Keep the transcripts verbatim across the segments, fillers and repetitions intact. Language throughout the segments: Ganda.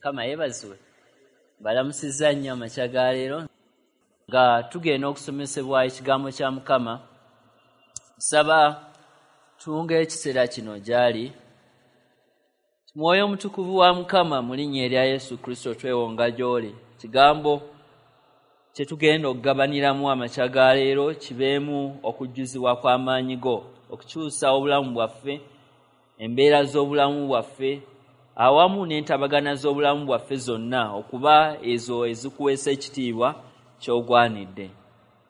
Mukama yeebazibwe. Balamusizza nnyo amakya ga leero nga tugenda okusomesebwa ekigambo kya Mukama. Nsaba tuwunge ekiseera kino gy'ali. Mwoyo Omutukuvu wa Mukama, mu linnya erya Yesu Kristo twewonga gy'oli. Kigambo kye tugenda okugabaniramu amakya ga leero kibeemu okujjuzibwa kw'amaanyi go, okukyusa obulamu bwaffe, embeera z'obulamu bwaffe, awamu n'entabagana z'obulamu bwaffe zonna okuba ezo ezikuweesa ekitiibwa ky'ogwanidde.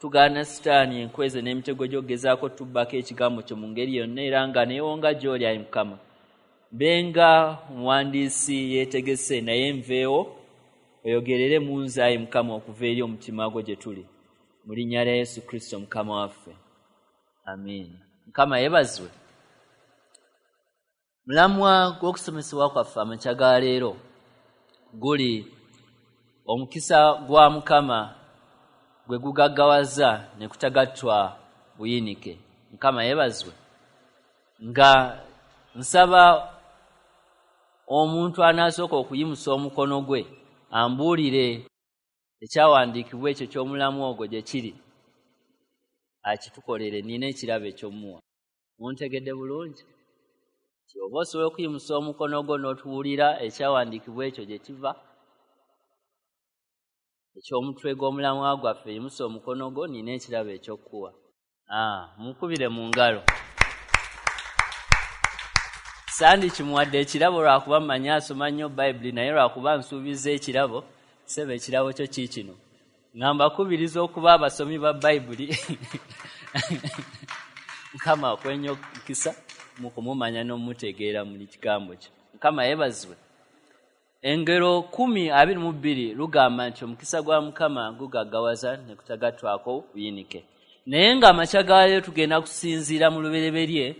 Tugaana Sitaani enkweze n'emitego gy'okugezaako tubbako ekigambo kyo mu ngeri yonna, era nga neewonga gy'oli ayi Mukama. Mbenga omuwandiisi yeetegese naye nveewo oyogerere mu nze ayi Mukama okuva eri omutima gwo gye tuli. Mu linnya lya Yesu Kristo Mukama waffe. Amiina. Mukama yeebazibwe. Mulamwa gw'okusomesebwa kwaffe amakya ga leero guli omukisa gwa Mukama gwe gugaggawaza ne kutagattwa buyinike. Mukama yeebazibwe. Nga nsaba omuntu anaasooka okuyimusa omukono gwe ambuulire ekyawandiikibwa ekyo ky'omulamu ogwo gye kiri, akitukolere. Nina ekirabo eky'omuwa. Muntegedde bulungi? Nti oba osobola okuyimusa omukono gwo n'otuwulira ekyawandiikibwa ekyo gye kiva, eky'omutwe gw'omulamwa gwaffe, yimusa omukono gwo, nina ekirabo eky'okkuwa. Ah, mukubire mu ngalo. Sandi kimuwadde ekirabo lwakuba mmanyi asoma nnyo Bayibuli, naye lwakuba nsuubiza ekirabo, ssebo ekirabo kyo kiikino. Nga mbakubiriza okuba abasomi ba Bayibuli. Mukama akuwe nnyo omukisa mu kumumanya n'omutegeera mu kigambo kye. Mukama yeebazibwe. Engero kkumi abiri mu bbiri lugamba nti omukisa gwa Mukama gugaggawaza ne kutagattwako buyinike. Naye ng'amakya ga leero tugenda kusinziira mu Lubereberye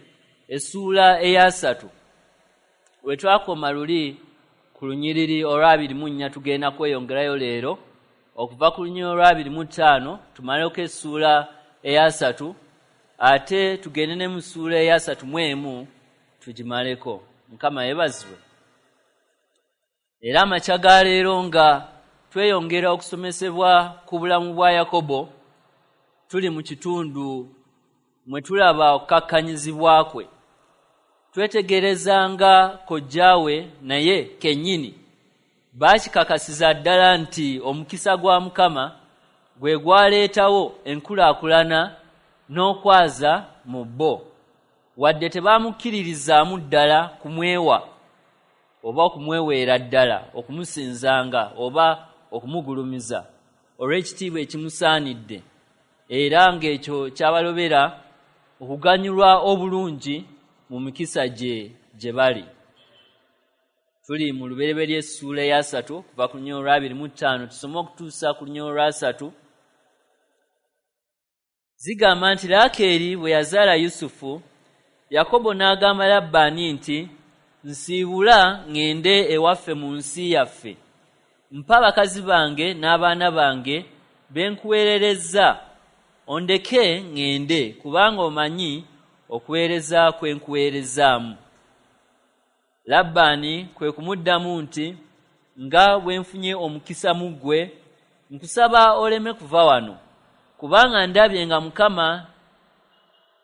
essuula eyasatu. We twakoma luli ku lunyiriri olw'abiri mu nnya, tugenda kweyongerayo leero okuva ku lunyiriri olw'abiri mu ttaano tumaleko essuula eyasatu, ate tugende ne mu ssuula eyasatu mu emu tugimaleko. Mukama yeebazibwe. Era amakya ga leero nga tweyongera okusomesebwa ku bulamu bwa Yakobo, tuli mu kitundu mwe tulaba okukakkanyizibwa kwe. Twetegerezanga kojjaawe naye kennyini baakikakasiza ddala nti omukisa gwa Mukama gwe gwaleetawo enkulaakulana n'okwaza mu bo, wadde tebamukkiririzaamu ddala kumwewa oba okumweweera ddala, okumusinzanga oba okumugulumiza olw'ekitiibwa ekimusaanidde, era ng'ekyo kyabalobera okuganyulwa obulungi mu mikisa gye gye bali. Tuli mu Lubereberye essuula eyasatu okuva ku lunyiriri olw'abiri mu ttaano tusome okutuusa ku lunyiriri olwasatu. Zigamba nti Laakeeri bwe yazaala Yusufu, Yakobo n'agamba Labbaani nti, nsiibula ŋŋende ewaffe mu nsi yaffe, mpa bakazi bange n'abaana bange be nkuweererezza, ondeke ŋŋende, kubanga omanyi okuweereza kwe nkuweerezaamu. Labbaani kwe kumuddamu nti, nga bwe nfunye omukisa mu ggwe, nkusaba oleme kuva wano, kubanga ndabye nga Mukama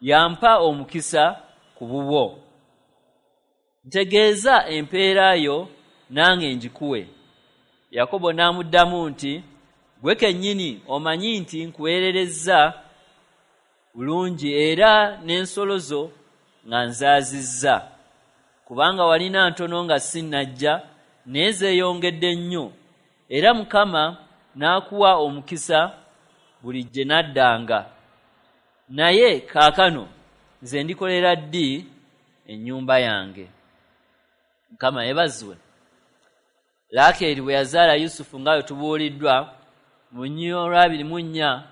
yampa omukisa ku bubwo. Ntegeeza empeera yo nange ngikuwe. Yakobo n'amuddamu nti, ggwe kennyini omanyi nti nkuweererezza bulungi era n'ensolo zo nga nzaazizza, kubanga walina ntono nga sinnajja, naye zeeyongedde nnyo, era Mukama n'akuwa omukisa buli gye naddanga. Naye kaakano nze ndikolera ddi ennyumba yange? Mukama yeebazibwe. Laakeeri bwe yazaala Yusufu nga bwe tubuuliddwa mu lunyiriri olw'abiri mu nnya,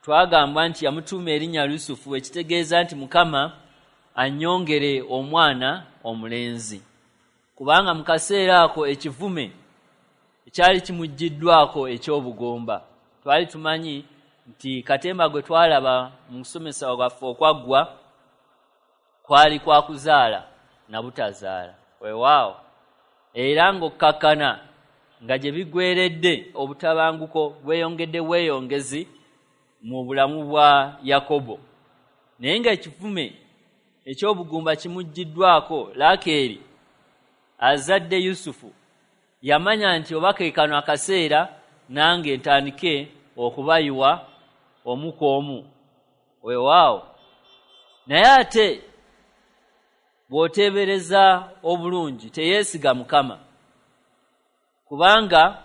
twagambwa nti yamutuuma erinnya Yusufu, ekitegeeza nti Mukama annyongere omwana omulenzi, kubanga mu kaseera ako ekivume ekyali kimuggiddwako eky'obugumba. Twali tumanyi nti katemba gwe twalaba mu kusomesa kwaffe okwaggwa kwali kwa kuzaala na butazaala. Weewaawo, era ng'okkakkana nga gye biggweredde obutabanguko bweyongedde bweyongezi mu bulamu bwa Yakobo. Naye ng'ekivume eky'obugumba kimuggiddwako, Laakeeri azadde Yusufu yamanya nti oba ke kano akaseera nange ntandike okubayiwa omu ku omu. Weewaawo, naye ate bw'oteebereza obulungi teyeesiga Mukama, kubanga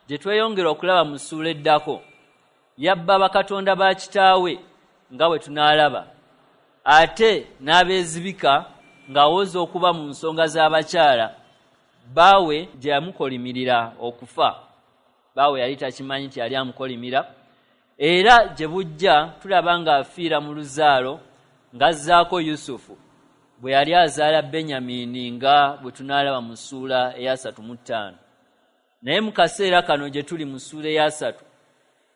gye tweyongera okulaba mu ssuula eddako yabba bakatonda ba kitaawe nga bwe tunaalaba, ate n'abeezibika ng'awoza okuba mu nsonga z'abakyala baawe gye yamukolimirira okufa. Baawe yali takimanyi nti yali amukolimira, era gye bujja tulaba ng'afiira mu luzaalo ng'azzaako Yusufu bwe yali azaala Benyamini nga bwe tunaalaba mu ssuula eyasatu mu ttaano. Naye mu kaseera kano gye tuli mu ssuula eyasatu,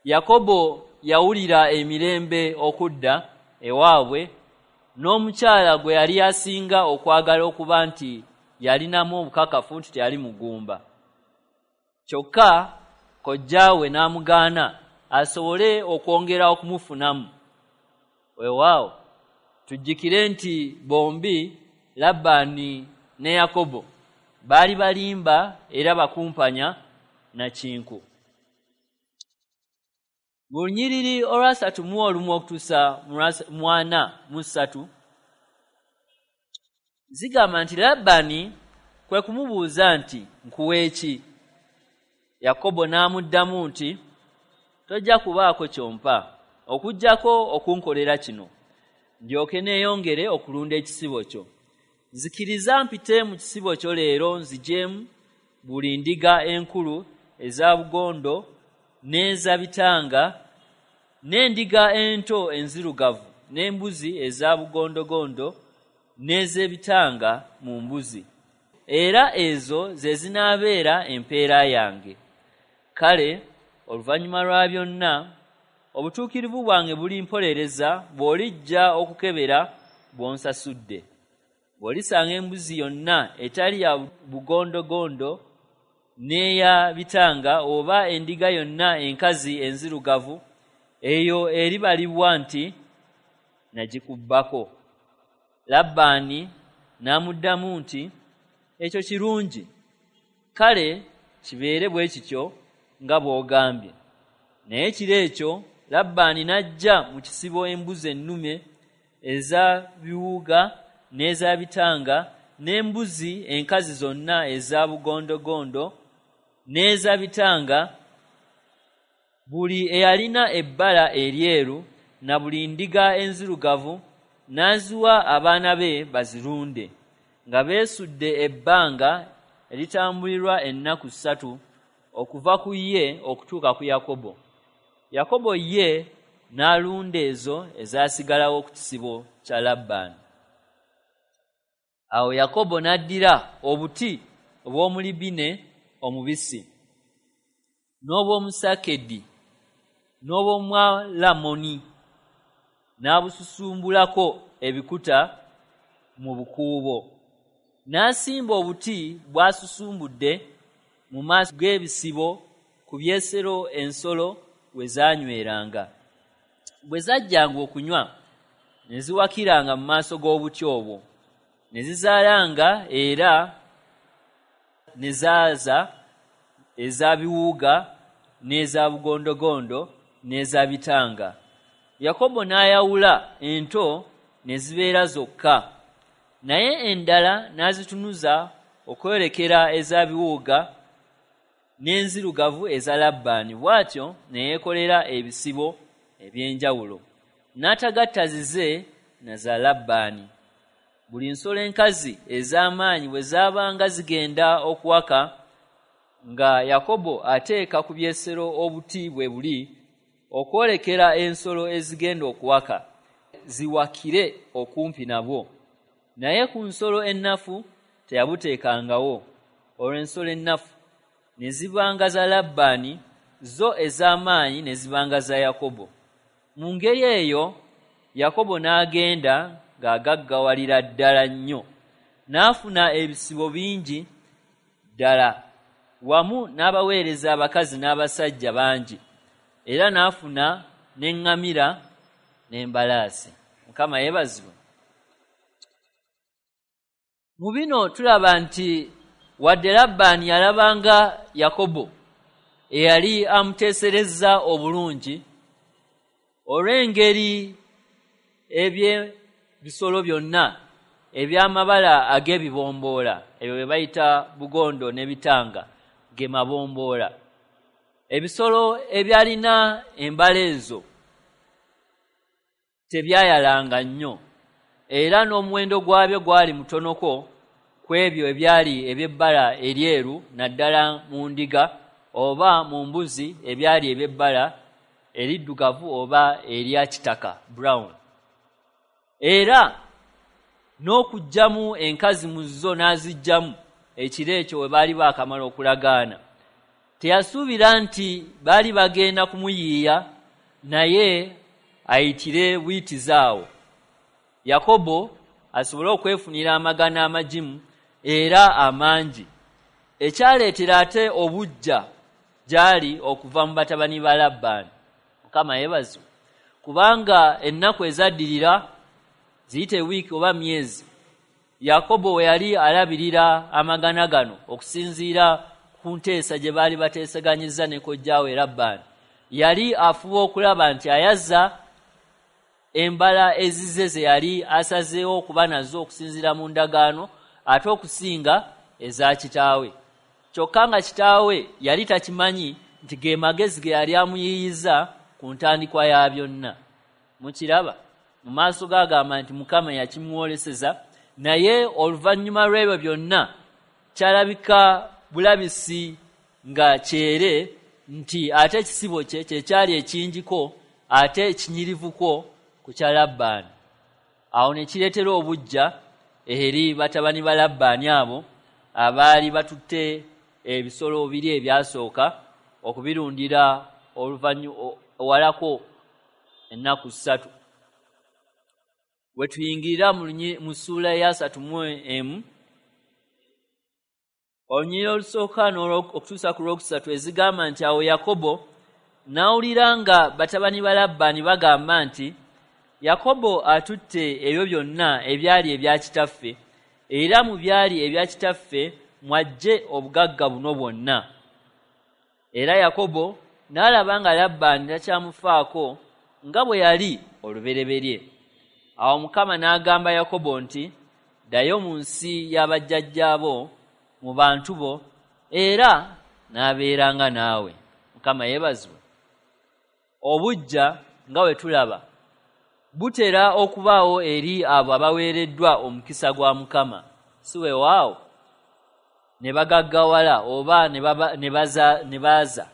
Yakobo yawulira emirembe okudda ewaabwe n'omukyala gwe yali asinga okwagala okuba nti yalinamu obukakafu nti teyali mugumba. Kyokka kojjaawe n'amugaana asobole okwongera okumufunamu. Weewaawo, tujjukire nti bombi Labbaani ne Yakobo baali balimba era bakumpanya na kinku. Mu lunyiriri olwasatu mu olumu okutuusa mu ana mu ssatu zigamba nti Labbaani kwe kumubuuza nti, nkuwe ki? Yakobo n'amuddamu nti, tojja kubaako ky'ompa okuggyako okunkolera kino, ndyoke neeyongere okulunda ekisibo kyo. Nzikiriza mpite mu kisibo kyo leero nzigyemu buli ndiga enkulu eza bugondo n'eza bitanga n'endiga ento enzirugavu n'embuzi eza bugondogondo n'ez'ebitanga mu mbuzi, era ezo ze zinaabeera empeera yange. Kale oluvannyuma lwa byonna obutuukirivu bwange bulimpolereza bw'olijja okukebera bw'onsasudde. Bw'olisanga embuzi yonna etali ya bugondogondo n'eya bitanga oba endiga yonna enkazi enzirugavu, eyo eribalibwa nti nagikubbako. Labbaani n'amuddamu nti, ekyo kirungi, kale kibeere bwe kityo nga bw'ogambye. Naye ekiro ekyo Labbaani n'aggya mu kisibo embuzi ennume eza biwuuga n'eza bitanga n'embuzi enkazi zonna eza bugondogondo n'eza bitanga, buli eyalina ebbala eryeru na buli ndiga enzirugavu, n'aziwa abaana be bazirunde, nga beesudde ebbanga eritambulirwa ennaku ssatu okuva ku ye okutuuka ku Yakobo. Yakobo ye n'alunda ezo ezaasigalawo ku kisibo kya Labbaani. Awo Yakobo n'addira obuti obw'omulibine omubisi n'obw'omusakedi n'obw'omwalamoni n'abususumbulako ebikuta mu bukuubo. N'asimba obuti bw'asusumbudde mu maaso g'ebisibo ku byesero ensolo we zaanyweranga. Bwe zajjanga okunywa ne ziwakiranga mu maaso g'obuti obwo, ne zizaalanga era ne zaaza eza biwuuga n'eza bugondogondo n'eza bitanga. Yakobo n'ayawula ento ne zibeera zokka, naye endala n'azitunuza okwolekera eza biwuuga n'enzirugavu eza Labbaani. Bw'atyo ne yeekolera ebisibo eby'enjawulo, n'atagatta zize na za Labbaani. Buli nsolo enkazi ez'amaanyi bwe zaabanga zigenda okuwaka, nga Yakobo ateeka ku byesero obuti bwe buli okwolekera ensolo ezigenda okuwaka ziwakire okumpi nabwo. Naye ku nsolo ennafu teyabuteekangawo, olwo ensolo ennafu ne zibanga za Labbaani, zo ez'amaanyi ne zibanga za Yakobo. Mu ngeri eyo Yakobo n'agenda ng'agaggawalira ddala nnyo, n'afuna ebisibo bingi ddala wamu n'abaweereza abakazi n'abasajja bangi, era n'afuna n'eŋŋamira n'embalaasi. Mukama yeebazibwe. Mu bino tulaba nti wadde Labbaani yalabanga Yakobo eyali amuteeserezza obulungi olw'engeri eby'ebisolo byonna eby'amabala ag'ebibomboola, ebyo bye bayita bugondo n'ebitanga ge mabomboola, ebisolo ebyalina embala ezo tebyayalanga nnyo, era n'omuwendo gwabyo gwali mutonoko ku ebyo ebyali eby'ebbala eryeru, naddala mu ndiga oba mu mbuzi ebyali eby'ebbala eriddugavu oba erya kitaka brown. Era n'okuggyamu enkazi mu zo n'aziggyamu ekiro ekyo we baali baakamala okulagaana. Teyasuubira nti baali bagenda kumuyiiya, naye ayitire buyitizi awo Yakobo asobole okwefunira amagana amagimu era amangi, ekyaleetera ate obuggya gy'ali okuva mu batabani ba Labbaani. Mukama yeebazibwe, kubanga ennaku ezaddirira ziyite wiiki oba myezi, Yakobo we yali alabirira amagana gano okusinziira ku nteesa gye baali bateeseganyizza ne kojjaawe Labbaani, yali afuba okulaba nti ayaza embala ezize ze yali asazeewo okuba nazo okusinziira mu ndagaano, ate okusinga eza kitaawe. Kyokka nga kitaawe yali takimanyi nti ge magezi ge yali amuyiiyiza ku ntandikwa ya byonna. Mukiraba mu maaso g'agamba nti Mukama yakimwoleseza, naye oluvannyuma lw'ebyo byonna kyalabika bulabisi nga kyere nti ate ekisibo kye kye kyali ekingiko ate ekinyirivuko ku kya Labbaani. Awo ne kireetera obuggya eri batabani ba Labbaani abo abaali batutte ebisolo biri ebyasooka okubirundira oluvannyuma owalako ennaku ssatu. We tuyingirira mu ssuula eya asatu mu emu, olunyiriri olusooka okutuusa ku lwokusatu ezigamba nti awo Yakobo n'awulira nga batabani ba Labbaani bagamba nti Yakobo atutte ebyo byonna ebyali ebya kitaffe, era mu byali ebya kitaffe mwajje obugagga buno bwonna. Era Yakobo n'alaba nga Labbaani takyamufaako nga bwe yali olubereberye. Awo Mukama n'agamba Yakobo nti, ddayo mu nsi y'abajjajjaabo, mu bantu bo, era n'abeeranga naawe. Mukama yeebazibwe. Obuggya nga bwe tulaba butera okubaawo eri abo abaweereddwa omukisa gwa Mukama, si weewaawo ne bagaggawala oba ne baaza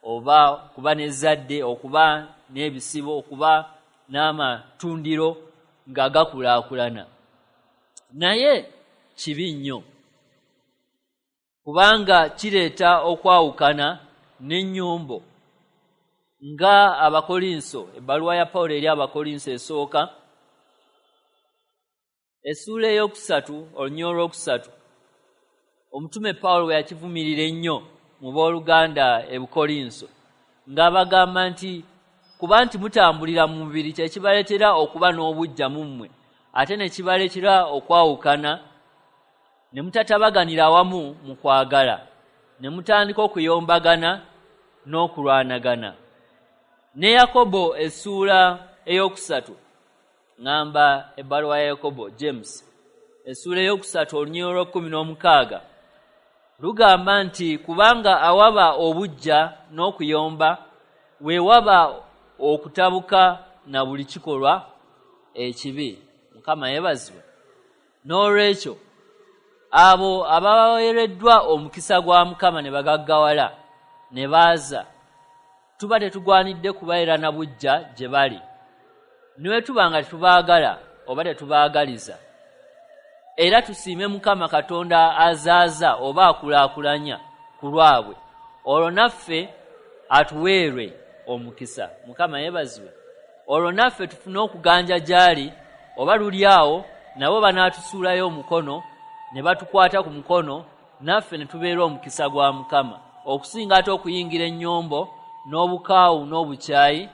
oba okuba n'ezzadde, okuba n'ebisibo, okuba n'amatundiro nga gakulaakulana. Naye kibi nnyo, kubanga kireeta okwawukana n'ennyombo. Nga Abakolinso, ebbaluwa ya Pawulo eri Abakolinso esooka essuula ey'okusatu olunyiriri olwokusatu, omutume Pawulo bwe yakivumirira ennyo mu booluganda e Bukolinso, ng'abagamba nti kuba nti mutambulira mu mubiri kye kibaleetera okuba n'obuggya mu mmwe, ate ne kibaleetera okwawukana, ne mutatabaganira awamu mu kwagala, ne mutandika okuyombagana n'okulwanagana. Ne Yakobo essuula ey'okusatu, ŋŋamba ebbaluwa ya Yakobo James essuula ey'okusatu olunyiriri olw'ekkumi n'omukaaga lugamba nti kubanga awaba obuggya n'okuyomba weewaba okutabuka na buli kikolwa ekibi. Mukama yeebazibwe. N'olwekyo abo abaweereddwa omukisa gwa Mukama ne bagaggawala ne baaza, tuba tetugwanidde kubeera na buggya gye bali, ne bwe tuba nga tetubaagala oba tetubaagaliza. Era tusiime Mukama Katonda azaaza oba akulaakulanya ku lwabwe, olwo naffe atuweerwe omukisa. Mukama yeebazibwe. Olwo naffe tufune okuganja gy'ali, oba luli awo nabo banaatusuulayo omukono ne batukwata ku mukono naffe ne tubeera omukisa gwa Mukama, okusinga ate okuyingira ennyombo n'obukaawu n'obukyayi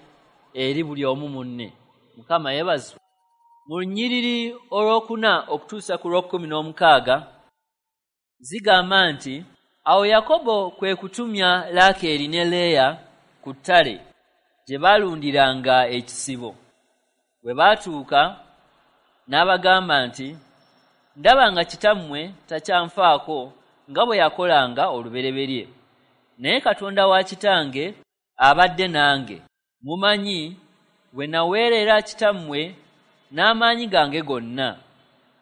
eri buli omu munne. Mukama yeebazibwe. Mu lunyiriri olwokuna okutuusa ku lw'okkumi n'omukaaga zigamba nti, awo Yakobo kwe kutumya Laakeeri ne Leeya ku ttale gye baalundiranga ekisibo. Bwe baatuuka n'abagamba nti, ndaba nga kitammwe takyanfaako nga bwe yakolanga olubereberye, naye Katonda wa kitange abadde nange. Mumanyi bwe naweerera kitammwe n'amaanyi gange gonna,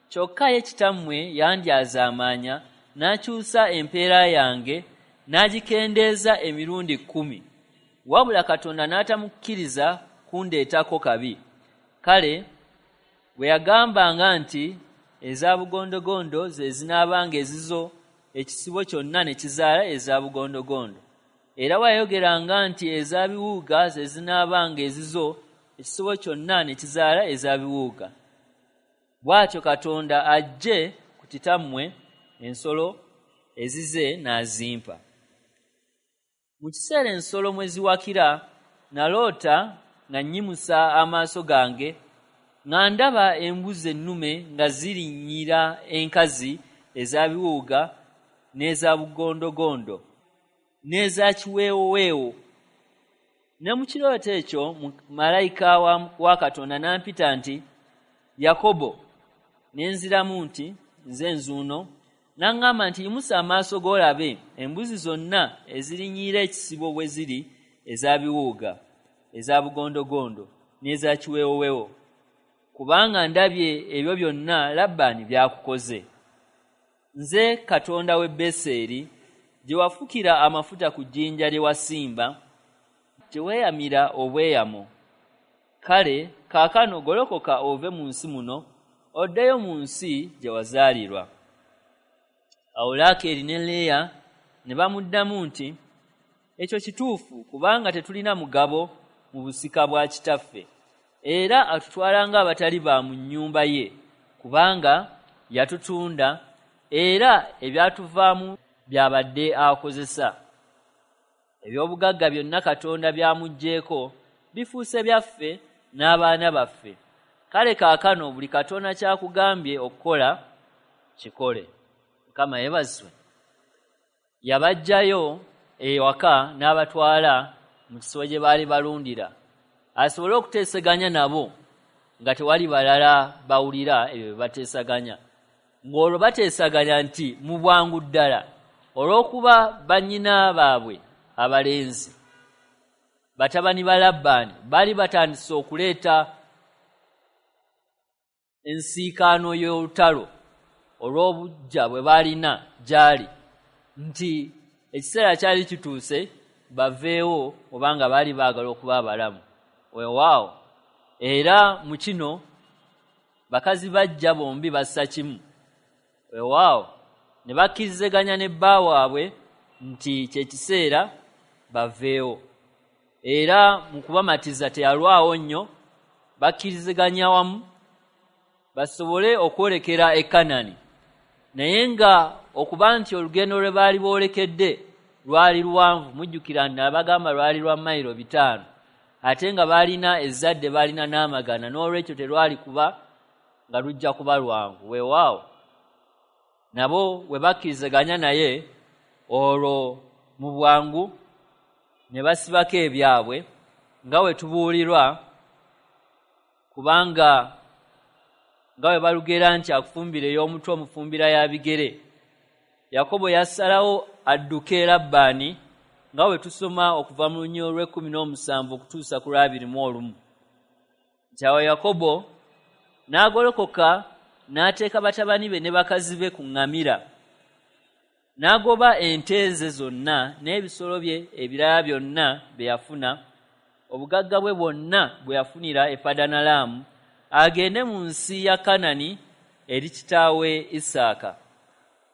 kyokka ye kitammwe yandyazaamaanya n'akyusa empeera yange n'agikendeeza emirundi kkumi, wabula Katonda n'atamukkiriza kundeetako kabi. Kale bwe yagambanga nti eza bugondogondo ze zinaabanga ezizo, ekisibo kyonna ne kizaala eza bugondogondo. Era bwe nti eza biwuuga ze zinaabanga ezizo, ekisibo kyonna ne kizaala eza biwuuga. Bw'atyo Katonda aggye ku kitammwe ensolo ezize n'azimpa. Mu kiseera ensolo mwe ziwakira, naloota nga nnyimusa amaaso gange nga ndaba embuzi ennume nga zirinnyira enkazi eza biwuuga n'eza bugondogondo n'eza kiweewoweewo. Ne mu kirooto ekyo malayika wa, wa Katonda n'ampita nti, Yakobo. Ne nziramu nti, nze nzuuno. N'aŋŋamba nti, yimusa amaaso g'olabe embuzi zonna ezirinnyiira ekisibo bwe ziri eza biwuuga, eza bugondogondo n'eza kiweewoweewo, kubanga ndabye ebyo byonna Labbaani by'akukoze. Nze Katonda w'e Beseri, gye wafukira amafuta ku jjinja lye wasimba, gye weeyamira obweyamo. Kale kaakano golokoka ove mu nsi muno, oddeyo mu nsi gye wazaalirwa. Awo Laakeeri ne Leeya ne bamuddamu nti, ekyo kituufu, kubanga tetulina mugabo mu busika bwa kitaffe, era atutwala ng'abatali ba mu nnyumba ye, kubanga yatutunda, era ebyatuvaamu by'abadde akozesa. Eby'obugagga byonna Katonda by'amuggyeeko bifuuse byaffe n'abaana baffe. Kale kaakano buli Katonda ky'akugambye okukola kikole. Mukama yeebazibwe. Yabaggyayo ewaka n'abatwala mu kisibo gye baali balundira, asobole okuteeseganya nabo nga tewali balala bawulira ebyo bye bateesaganya. Ng'olwo bateesaganya nti mu bwangu ddala, olw'okuba bannyina baabwe abalenzi batabani ba Labbaani baali batandise okuleeta ensiikaano y'olutalo olw'obuggya bwe baalina gy'ali, nti ekiseera kyali kituuse baveewo obanga baali baagala okuba abalamu. Weewaawo, era mu kino bakazi bajja bombi bassa kimu. Weewaawo, ne bakkiriziganya ne bba waabwe nti kye kiseera baveewo. Era mu kubamatiza teyalwawo nnyo, bakkiriziganya wamu basobole okwolekera e Kanani. Naye nga okuba nti olugendo lwe baali boolekedde lwali luwanvu, mujjukira nti abagamba lwali lwa mayiro bitaano, ate nga baalina ezzadde, baalina n'amagana, n'olwekyo terwali kuba nga lujja kuba lwangu. Weewaawo, nabo bwe bakkiriziganya naye, olwo mu bwangu ne basibako ebyabwe nga bwe tubuulirwa, kubanga nga bwe balugera nti akufumbira ey'omutwe omufumbira ya bigere. Yakobo yasalawo adduke Labbaani nga bwe tusoma okuva mu lunyiriri olw'ekkumi n'omusanvu okutuusa ku lw'abiri mu olumu. Nti awo Yakobo n'agolokoka n'ateeka batabani be ne bakazi be ku ŋŋamira, n'agoba ente ze zonna n'ebisolo bye ebirala byonna bye yafuna, obugagga bwe bwonna bwe yafunira e Padanalaamu, agende mu nsi ya Kanani eri kitaawe Isaaka.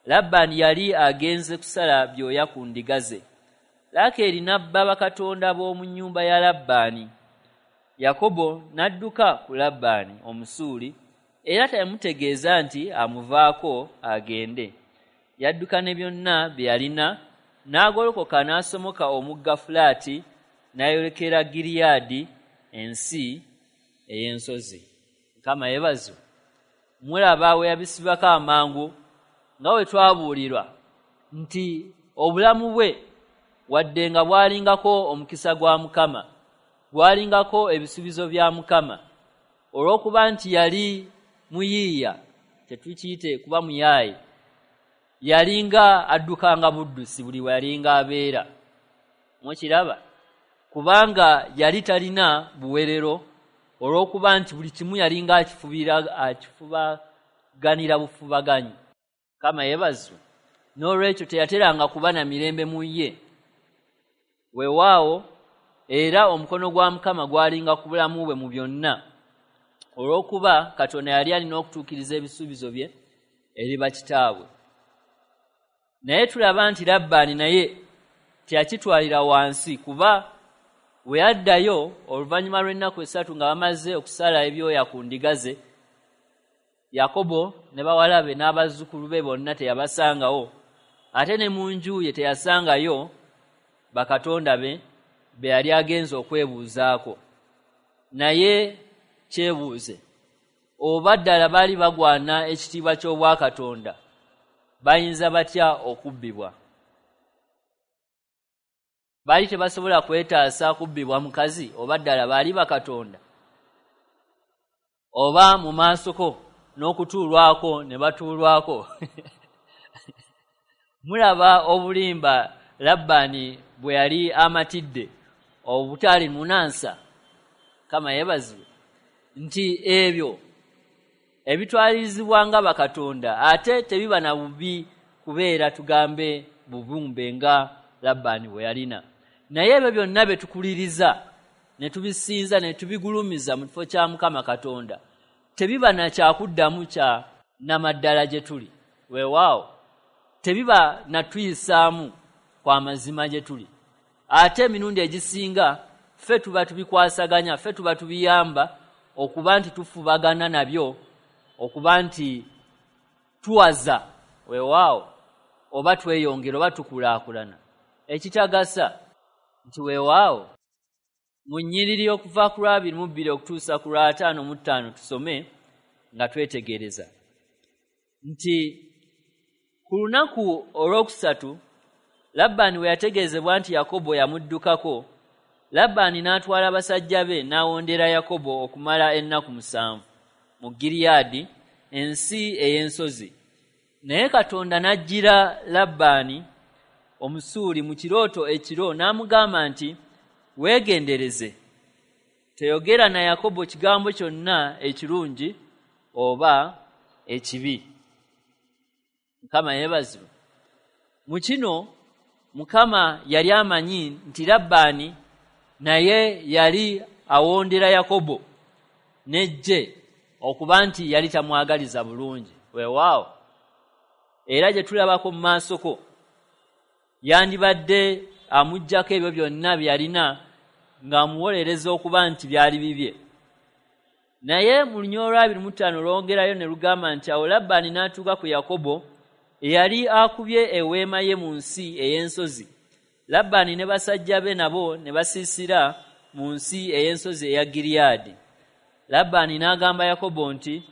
Labbaani yali agenze kusala byoya ku ndiga ze. Laakeeri n'abba bakatonda b'omu nnyumba ya Labbaani. Yakobo n'adduka ku Labbaani Omusuuli, era teyamutegeeza nti amuvaako agende. Yadduka ne byonna bye yalina, n'agolokoka n'asomoka omugga Fulaati, n'ayolekera Gileyaadi, ensi ey'ensozi. Mukama yeebazibwe. Mulaba we yabisibako amangu, nga we twabuulirwa nti obulamu bwe wadde nga bwalingako omukisa gwa Mukama, bwalingako ebisuubizo bya Mukama, olw'okuba nti yali muyiiya, tetukiyite kuba muyaayi, yalinga addukanga buddusi buli we yalinga abeera. Mukiraba? Kubanga yali talina buwerero, olw'okuba nti buli kimu yalinga akifubira, akifubaganira bufubaganyi. Mukama yeebazibwe. N'olwekyo teyateranga kuba na mirembe mu ye. Weewaawo era omukono gwa Mukama gwalinga ku bulamu bwe mu byonna, olw'okuba Katonda yali alina okutuukiriza ebisuubizo bye eri bakitaabwe. Naye tulaba nti Labbaani naye teyakitwalira wansi, kuba we yaddayo oluvannyuma lw'ennaku essatu nga bamaze okusala ebyoya ku ndiga ze, Yakobo ne bawala be n'abazzukulu be bonna teyabasangawo, ate ne mu nju ye teyasangayo bakatonda be be yali agenze okwebuuzaako. Naye kyebuuze, oba ddala baali bagwana ekitiibwa ky'obwakatonda, bayinza batya okubbibwa? Baali tebasobola kwetaasa kubbibwa mukazi, oba ddala baali bakatonda? Oba mu maasoko n'okutuulwako ne batuulwako. Mulaba obulimba Labbaani bwe yali amatidde obutaali munansa. Mukama yeebazibwe nti ebyo ebitwalirizibwa nga bakatonda ate tebiba na bubi kubeera tugambe bubumbe nga Labbaani bwe yalina. Naye ebyo byonna bye tukuliriza ne tubisinza ne tubigulumiza mu kifo kya Mukama Katonda tebiba na kyakuddamu kya namaddala gye tuli. Weewaawo tebiba na tuyisaamu kwa mazima gye tuli. Ate emirundi egisinga ffe tuba tubikwasaganya, ffe tuba tubiyamba okuba nti tufubagana nabyo, okuba nti tuwaza, weewaawo, oba tweyongera oba tukulaakulana. Ekitagasa nti weewaawo mu nnyiriri okuva ku lwa abiri mu bbiri okutuusa ku lwa ataano mu ttaano tusome nga twetegereza nti ku lunaku olwokusatu Labbaani we yategeezebwa nti Yakobo yamuddukako, Labbaani n'atwala basajja be n'awondera Yakobo okumala ennaku musanvu mu Gileyaadi, ensi ey'ensozi. Naye Katonda n'ajjira Labbaani Omusuuli mu kirooto ekiro n'amugamba nti, weegendereze, teyogera na Yakobo kigambo kyonna ekirungi oba ekibi. Mukama yeebazibwe. Mu kino Mukama yali amanyi nti Labbaani naye yali awondera Yakobo n'eggye okuba nti yali tamwagaliza bulungi. Weewaawo era gye tulabako mu maasoko yandibadde amuggyako ebyo byonna bye yalina ng'amuwolereza okuba nti byali bibye. Naye mu lunyiriri lwa abiri mu ttaano lwongerayo ne lugamba nti awo Labbaani n'atuuka ku Yakobo eyali akubye eweema ye mu nsi ey'ensozi. Labbaani ne basajja be nabo ne basiisira mu nsi ey'ensozi eya Gileyaadi. Labbaani n'agamba Yakobo nti,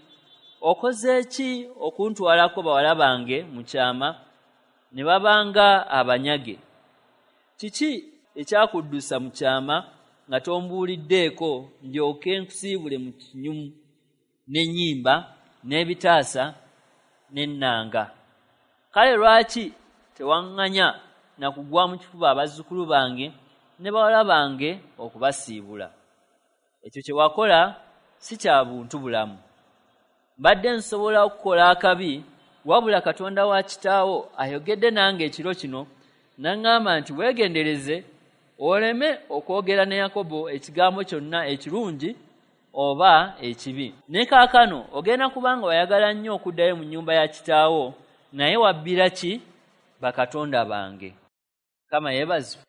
okoze ki okuntwalako bawala bange mu kyama ne babanga abanyage? Kiki ekyakuddusa mu kyama nga tombuuliddeeko ndyoke nkusiibule mu kinyumu n'ennyimba n'ebitaasa n'ennanga? Kale lwaki tewaŋŋanya na kugwa mu kifuba abazzukulu bange ne bawala bange okubasiibula? Ekyo kye wakola si kya buntu bulamu. Mbadde nsobola okukola akabi, wabula Katonda wa kitaawo ayogedde nange ekiro kino n'aŋŋamba nti weegendereze oleme okwogera ne Yakobo ekigambo kyonna ekirungi oba ekibi. Ne kaakano ogenda kubanga wayagala nnyo okuddayo mu nnyumba ya kitaawo, naye wabbira ki bakatonda bange? Mukama yeebazibwe.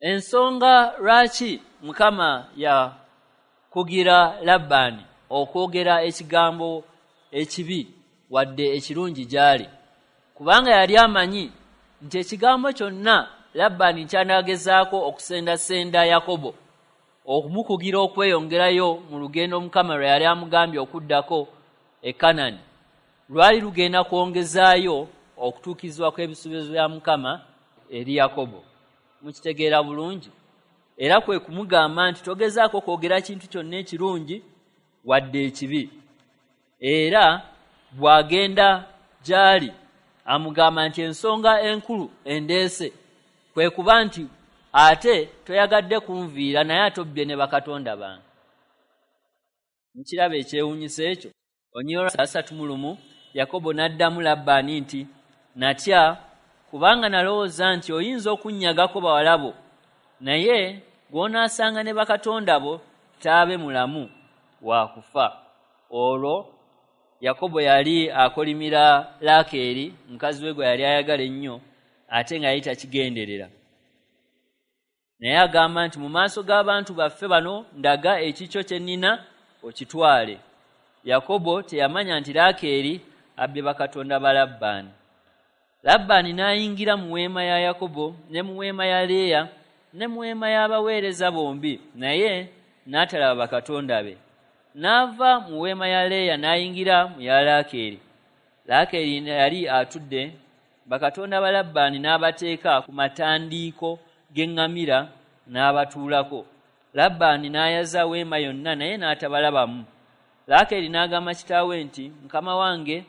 Ensonga lwaki Mukama yakugira Labbaani okwogera ekigambo ekibi wadde ekirungi gy'ali, Kubanga yali amanyi nti ekigambo kyonna Labbaani ky'anaagezaako okusendasenda Yakobo okumukugira okweyongerayo mu lugendo Mukama lwe yali amugambye okuddako e Kanani, lwali lugenda kwongezaayo okutuukirizibwa kw'ebisuubizo bya Mukama eri Yakobo. Mukitegeera bulungi? Era kwe kumugamba nti togezaako kwogera kintu kyonna ekirungi wadde ekibi. Era bw'agenda gy'ali amugamba nti ensonga enkulu endeese kwe kuba nti ate toyagadde kunviira naye ate obbye ne bakatonda bange. Nkiraba ekyewuunyisa ekyo. Olunyiriri asatu mu lumu, Yakobo n'addamu Labbaani nti, natya kubanga nalowooza nti oyinza okunnyagako bawala bo, naye gw'onaasanga ne bakatonda bo taabe mulamu wa kufa. Olwo Yakobo yali akolimira Laakeeri mukazi we gwe yali ayagala ennyo, ate nga yali takigenderera. Naye agamba nti mu maaso g'abantu baffe bano ndaga ekikyo kye nnina okitwale. Yakobo teyamanya nti Laakeeri abbye bakatonda ba Labbaani. Labbaani n'ayingira mu weema ya Yakobo ne mu weema ya Leeya ne mu weema y'abaweereza bombi, naye n'atalaba bakatonda be. N'ava mu weema ya Leeya n'ayingira mu ya Laakeeri. Laakeeri yali atudde, bakatonda ba Labbaani n'abateeka ku matandiiko g'eŋŋamira n'abatuulako. Labbaani n'ayaza weema yonna naye n'atabalabamu. Laakeeri n'agamba kitaawe nti, mukama wange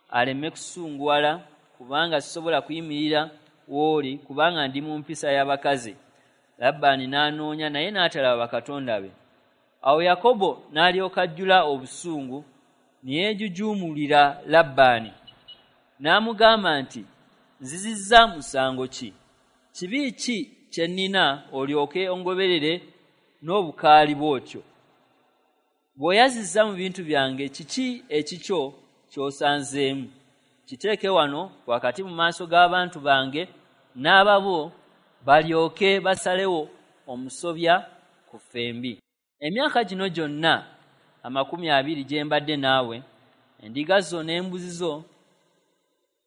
aleme kusunguwala, kubanga sisobola kuyimirira w'oli, kubanga ndi mu mpisa y'abakazi. Labbaani n'anoonya naye n'atalaba bakatonda be. Awo Yakobo n'alyoka ajjula obusungu ne yeejujuumulira Labbaani. N'amugamba nti, nzizizza musango ki? Kibi ki kye nnina olyoke ongoberere n'obukaali bw'otyo? Bw'oyazizza mu bintu byange, kiki ekikyo ky'osanzeemu? Kiteeke wano wakati mu maaso g'abantu bange n'ababo, balyoke basalewo omusobya ku ffembi. Emyaka gino gyonna amakumi abiri gye mbadde naawe, endiga zo n'embuzi zo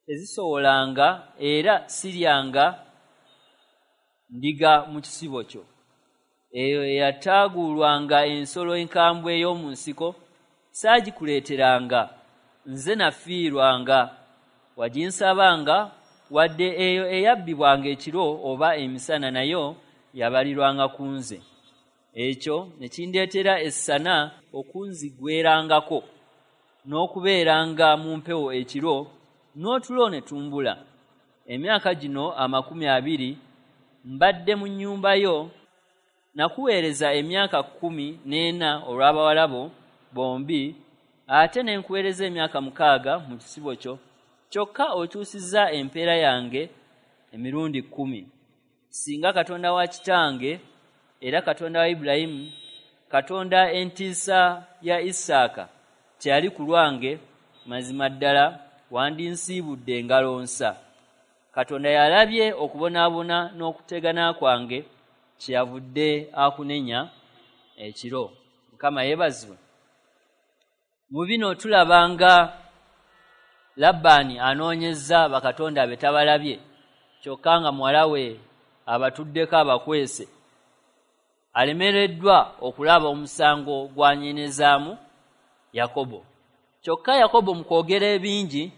tezisowolanga, era siryanga ndiga mu kisibo kyo. Eyo eyataagulwanga ensolo enkambwe ey'omu nsiko saagikuleeteranga, nze nafiirwanga. Waginsabanga, wadde eyo eyabbibwanga ekiro oba emisana nayo yabalirwanga ku nze. Ekyo ne kindeetera essana okunzigwerangako n'okubeeranga mu mpewo ekiro, n'otulo ne tumbula. Emyaka gino amakumi abiri mbadde mu nnyumba yo, nakuweereza emyaka kkumi n'ena olw'abawala bo bombi, ate ne nkuweereza emyaka mukaaga mu kisibo kyo. Kyokka okyusizza empeera yange emirundi kkumi. Singa Katonda wa kitange era Katonda wa Ibulayimu, Katonda entiisa ya Isaaka teyali ku lwange, mazima ddala wandinsiibudde engalo nsa. Katonda yalabye okubonaabona n'okutegana kwange, kyeyavudde akunenya ekiro. Mukama yeebazibwe. Mu bino tulaba nga Labbaani anoonyezza bakatonda be tabalabye, kyokka nga muwala we abatuddeko abakwese. Alemereddwa okulaba omusango gw'anyenezaamu Yakobo. Kyokka Yakobo mu kwogera ebingi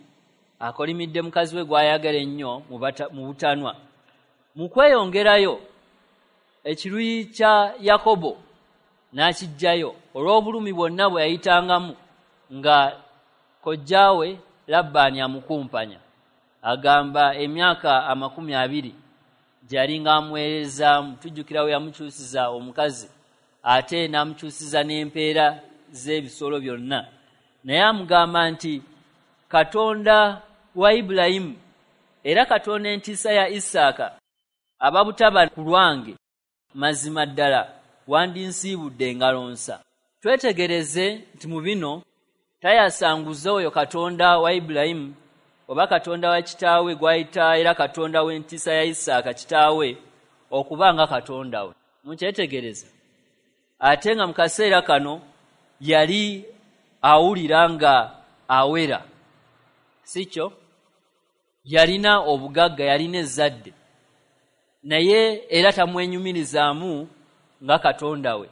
akolimidde mukazi we gw'ayagala ennyo mu butanwa. Mu kweyongerayo ekiruyi kya Yakobo n'akiggyayo olw'obulumi bwonna bwe yayitangamu nga kojjaawe Labbaani amukumpanya. Agamba emyaka amakumi abiri gy'alinga amuweerezaamu. Tujjukira we yamukyusiza omukazi ate n'amukyusiza n'empeera z'ebisolo byonna. Naye amugamba nti Katonda wa Ibulayimu era Katonda entiisa ya Isaaka ababutaba ku lwange, mazima ddala wandinsiibudde engalo nsa. Twetegereze nti mu bino tayasanguza oyo Katonda wa Ibulayimu oba Katonda wa kitaawe gw'ayita era Katonda w'entiisa ya Isaaka kitaawe okuba nga Katonda we. Mukyetegereza. Ate nga mu kaseera kano yali awulira nga awera, si kyo? Yalina obugagga, yalina ezzadde, naye era tamwenyumirizaamu nga Katonda we.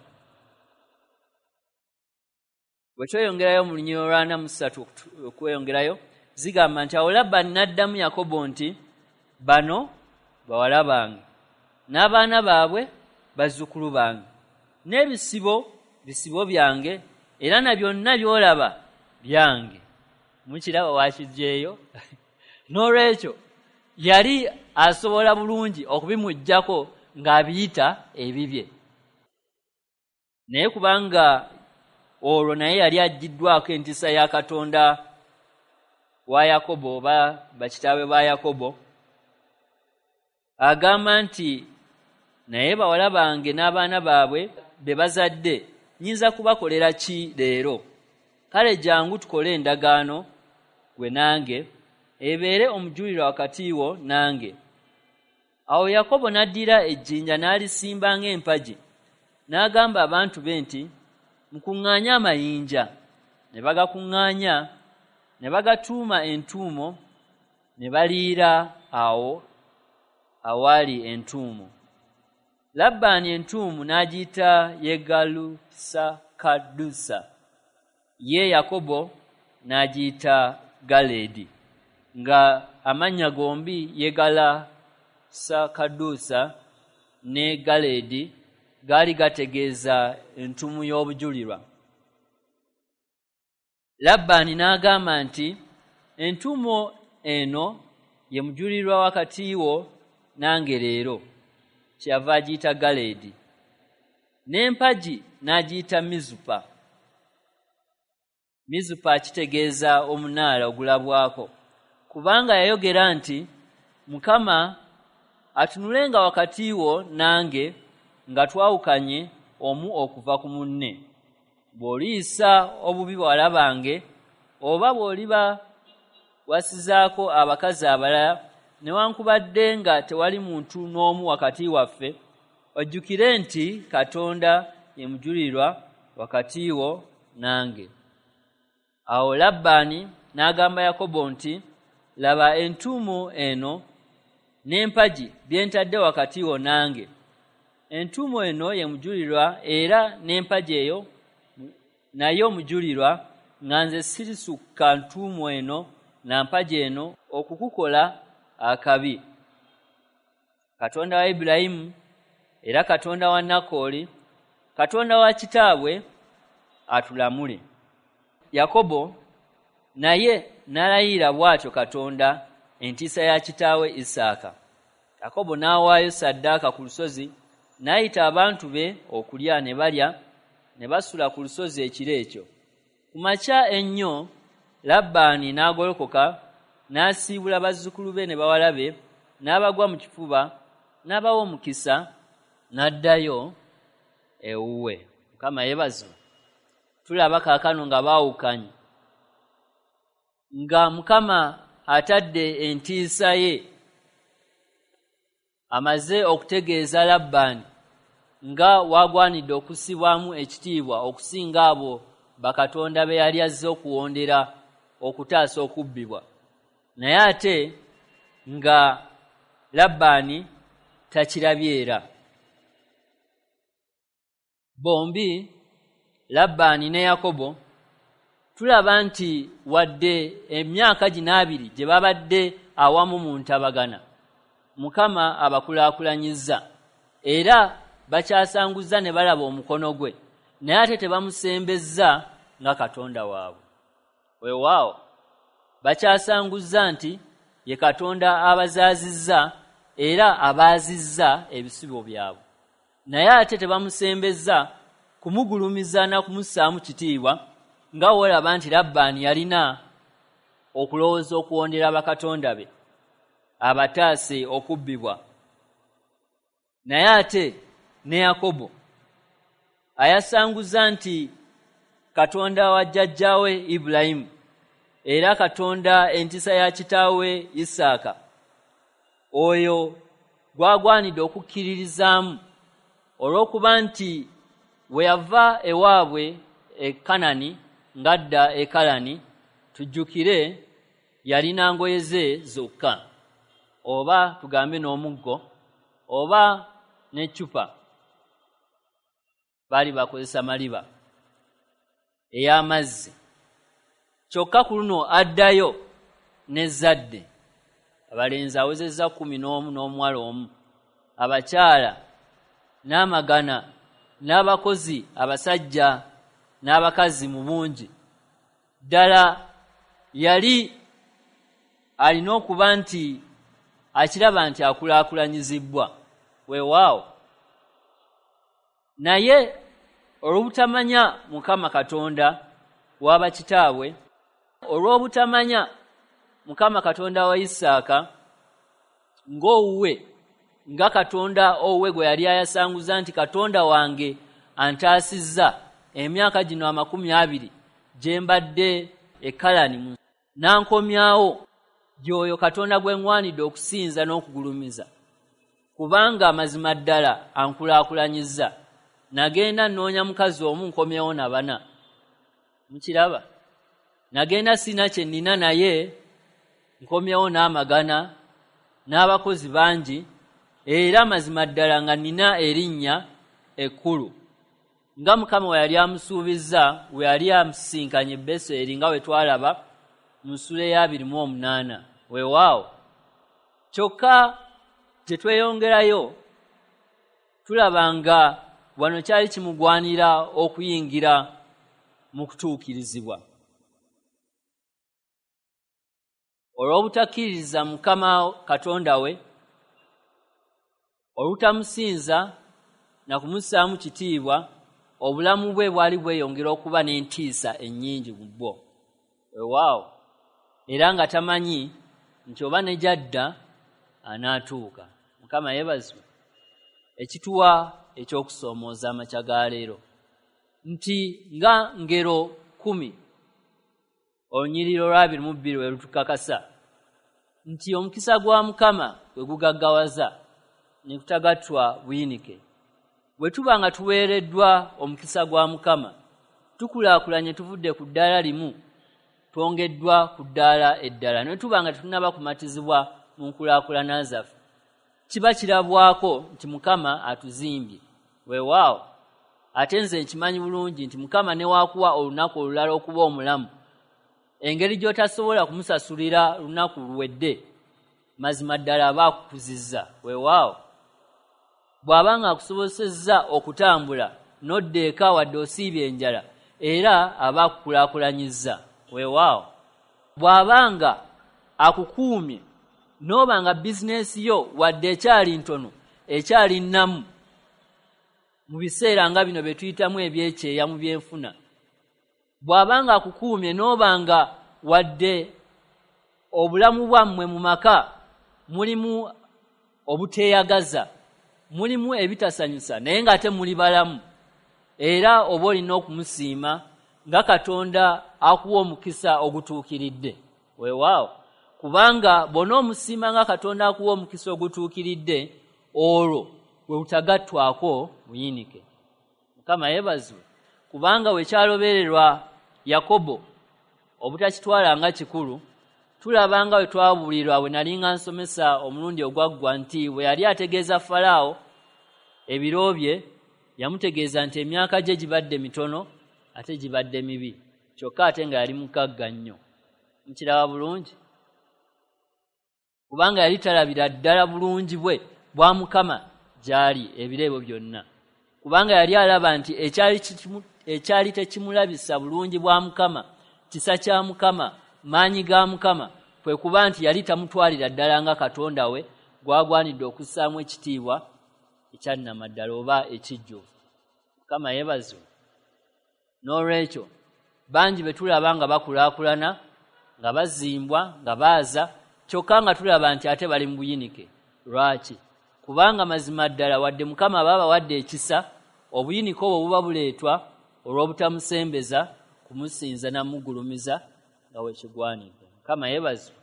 Bwe tweyongerayo mu lunyiriri lwa ana mu ssatu okweyongerayo, zigamba nti awo Labbaani n'addamu Yakobo nti, bano bawala bange n'abaana baabwe bazzukulu bange, n'ebisibo bisibo byange, era na byonna by'olaba byange. Mukiraba wakiggyeeyo? N'olwekyo yali asobola bulungi okubimuggyako ng'abiyita ebibye, naye kubanga olwo naye yali aggiddwako entiisa ya Katonda wa Yakobo oba bakitaawe ba Yakobo, agamba nti naye bawala bange n'abaana baabwe be bazadde nnyinza kubakolera ki leero? Kale jangu tukole endagaano gwe nange, ebeere omujulirwa wakati wo nange. Awo Yakobo n'addira ejjinja n'alisimba ng'empagi, n'agamba abantu be nti, mukuŋŋaanye amayinja. Ne bagakuŋŋaanya, ne bagatuuma entuumo, ne baliira awo awaali entuumo. Labbaani entuumu n'agiyita Yegalusakadusa, ye Yakobo n'agiyita Galeedi, nga amannya gombi Yegalasakadusa ne Galeedi gaali gategeeza entuumu y'obujulirwa. Labbaani n'agamba nti, entuumo eno ye mujulirwa wakati wo nange leero. Kyeyava agiyita Galeedi. N'empagi n'agiyita Mizupa. Mizupa kitegeeza omunaala ogulabwako, kubanga yayogera nti, Mukama atunulenga wakati wo nange nga twawukanye omu okuva ku munne. Bw'oliyisa obubi bawala bange, oba bw'oliba wasizaako abakazi abalala, newankubadde nga tewali muntu n'omu wakati waffe, ojjukire nti Katonda ye mujulirwa wakati wo nange. Awo Labbaani n'agamba Yakobo nti, laba entuumo eno n'empagi bye ntadde wakati wo nange. Entuumo eno ye mujulirwa, era n'empagi eyo nayo mujulirwa, nga nze sirisukka ntuumo eno na mpagi eno okukukola akabi. Katonda wa Ibulayimu era Katonda wa Nakoli, Katonda wa kitaabwe atulamule. Yakobo naye n'alayira bw'atyo Katonda entiisa ya kitaawe Isaaka. Yakobo n'awaayo ssaddaaka ku lusozi, n'ayita abantu be okulya, ne balya, ne basula ku lusozi ekiro ekyo. Ku makya ennyo Labbaani n'agolokoka, n'asiibula bazzukulu be ne bawala be, n'abagwa mu kifuba, n'abawa omukisa, n'addayo ewuwe. Mukama yeebazibwe. Tulaba kaakano nga baawukanye, nga Mukama atadde entiisa ye, amaze okutegeeza Labbaani nga wagwanidde okussibwamu ekitiibwa okusinga abo bakatonda be yali azze okuwondera okutaasa okubbibwa. Naye ate nga Labbaani takirabye era. Bombi Labbaani ne Yakobo tulaba nti wadde emyaka gino abiri gye babadde awamu mu ntabagana, Mukama abakulaakulanyizza era bakyasanguzza ne balaba omukono gwe, naye ate tebamusembezza nga Katonda waabwe. Weewaawo bakyasanguzza nti ye Katonda abazaazizza era abaazizza ebisibo byabwe, naye ate tebamusembezza kumugulumiza na kumussaamu kitiibwa, nga wolaba nti Labbaani yalina okulowooza okuwondera bakatonda be abataase okubbibwa. Naye ate ne Yakobo ayasanguza nti Katonda wa jjajjaawe Ibulayimu era Katonda entiisa ya kitaawe Isaaka, oyo gwagwanidde okukkiririzaamu olw'okuba nti we yava ewaabwe e Kanani ng'adda e Kalani, tujjukire yalina ngoye ze zokka, oba tugambe n'omuggo oba n'eccupa. Baali bakozesa maliba ey'amazzi. Kyokka ku luno addayo n'ezzadde, abalenzi awezezza kkumi n'omu n'omuwala omu, abakyala n'amagana n'abakozi abasajja n'abakazi mu bungi. Ddala yali alina okuba nti akiraba nti akulaakulanyizibbwa, weewaawo. Naye olw'obutamanya Mukama Katonda w'abakitaabwe, olw'obutamanya Mukama Katonda wa Isaaka ng'owuwe, nga Katonda owuwe gwe yali ayasanguza nti Katonda wange antaasizza emyaka gino amakumi abiri gye mbadde e Kalani, n'ankomyawo gy'oyo Katonda gwe ŋŋwanidde okusinza n'okugulumiza, kubanga amazima ddala ankulaakulanyizza. Nagenda nnoonya mukazi omu nkomyewo na bana. Mukiraba? Nagenda sina kye nnina, naye nkomyewo n'amagana n'abakozi bangi, era amazima ddala nga nnina erinnya ekkulu, nga Mukama we yali amusuubizza we yali amusisinkanye e Beseri, nga we twalaba mu ssula ey'abiri mu omunaana. Weewaawo. Kyokka gye tweyongerayo tulaba nga wano kyali kimugwanira okuyingira mu kutuukirizibwa. Olw'obutakkiririza Mukama Katonda we, olutamusinza na kumussaamu kitiibwa, obulamu bwe bwali bweyongera okuba n'entiisa ennyingi mu bwo. Weewaawo. Era nga tamanyi nti oba ne gy'adda anaatuuka. Mukama yeebazibwe. Ekituwa ekyokusoomooza amakya ga leero nti nga ngero kkumi olunyiriri olw'abiri mu bbiri we lutukakasa nti omukisa gwa Mukama gwe gugaggawaza ne kutagattwa buyinike. Bwe tuba nga tuweereddwa omukisa gwa Mukama, tukulaakulanye tuvudde ku ddaala limu twongeddwa ku ddaala eddala. Ne tuba nga tetunnaba kumatizibwa mu nkulaakulana zaffe, kiba kirabwako nti Mukama atuzimbye. Weewaawo. Ate nze nkimanyi bulungi nti Mukama ne waakuwa olunaku olulala okuba omulamu, engeri gy'otasobola kumusasulira lunaku luwedde, mazima ddala aba akukuzizza. Weewaawo. Bw'aba nga akusobosezza okutambula n'odda eka wadde osiibye enjala, era aba akukulaakulanyizza. Weewaawo. Bw'aba nga akukuumye n'oba nga bizinensi yo wadde ekyali ntono, ekyali nnamu, mu biseera nga bino bye tuyitamu ebyekyeya mu byenfuna, bw'aba nga akukuumye n'oba nga wadde obulamu bwammwe mu maka mulimu obuteeyagaza, mulimu ebitasanyusa, naye ng'ate muli balamu, era oba olina okumusiima nga Katonda akuwa omukisa ogutuukiridde. Weewaawo. Kubanga bw'onoomusiima nga Katonda akuwa omukisa ogutuukiridde, olwo bwe butagattwako buyinike. Mukama yeebazibwe. Kubanga we kyalobererwa Yakobo obutakitwala nga kikulu, tulaba nga we twabuulirwa we nali nga nsomesa omulundi ogwaggwa nti bwe yali ategeeza Falaawo ebiro bye, yamutegeeza nti emyaka gye gibadde mitono ate gibadde mibi, kyokka ate nga yali mugagga nnyo. Mukiraba bulungi? Kubanga yali talabira ddala bulungi bwe bwa Mukama gy'ali ebiro ebyo byonna. Kubanga yali alaba nti ekyali ekyali tekimulabisa bulungi bwa Mukama, kisa kya Mukama, maanyi ga Mukama, kwe kuba nti yali tamutwalira ddala nga Katonda we gwagwanidde okussaamu ekitiibwa ekyannamaddala oba ekijjuvu. Mukama yeebazibwe. N'olwekyo bangi be tulaba nga bakulaakulana, nga bazimbwa, nga baaza, kyokka nga tulaba nti ate bali mu buyinike. Lwaki? Kubanga mazima ddala wadde Mukama aba abawadde ekisa, obuyinike obwo buba buleetwa olw'obutamusembeza kumusinza namugulumiza nga we kigwanidde. Mukama yeebazibwe.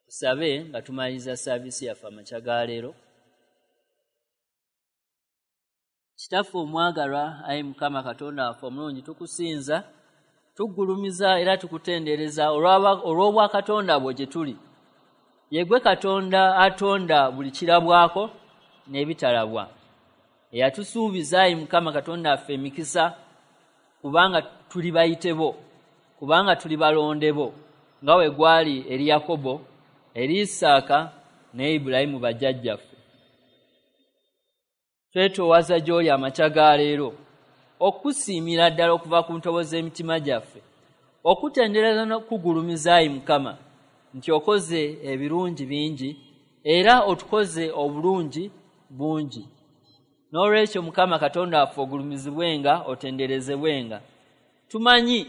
Tusabe nga tumaliriza saaviisi yaffe amakya ga leero. Kitaffe omwagalwa, ayi Mukama Katonda waffe omulungi, tukusinza, Tugulumiza era tukutendereza olw'obwakatonda bwo gye tuli. Ye ggwe Katonda atonda buli kirabwako n'ebitalabwa, eyatusuubiza ayi Mukama Katonda waffe emikisa, kubanga tuli bayite bo, kubanga tuli balonde bo, nga bwe gwali eri Yakobo, eri Isaaka ne Ibulayimu bajjajjaffe. Twetoowaza gy'oli amakya ga leero, okusiimira ddala okuva ku ntobo z'emitima gyaffe, okutendereza n'okugulumiza ayi Mukama nti okoze ebirungi bingi era otukoze obulungi bungi. N'olwekyo Mukama Katonda waffe ogulumizibwenga, otenderezebwenga. Tumanyi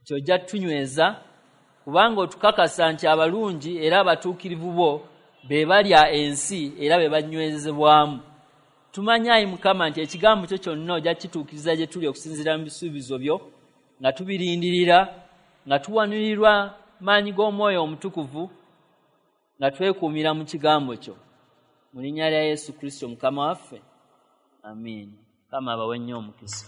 nti ojja tutunyweza, kubanga otukakasa nti abalungi era abatuukirivu bo be balya ensi era be banywezebwamu. Tumanyi ayi Mukama nti ekigambo kyo kyonna ojja kituukiriza gye tuli okusinziira mu bisuubizo byo, nga tubirindirira, nga tuwanirirwa maanyi g'Omwoyo Omutukuvu, nga twekuumira mu kigambo kyo. Mu linnya lya Yesu Kristo Mukama waffe, amiina. Mukama abawe nnyo omukisa.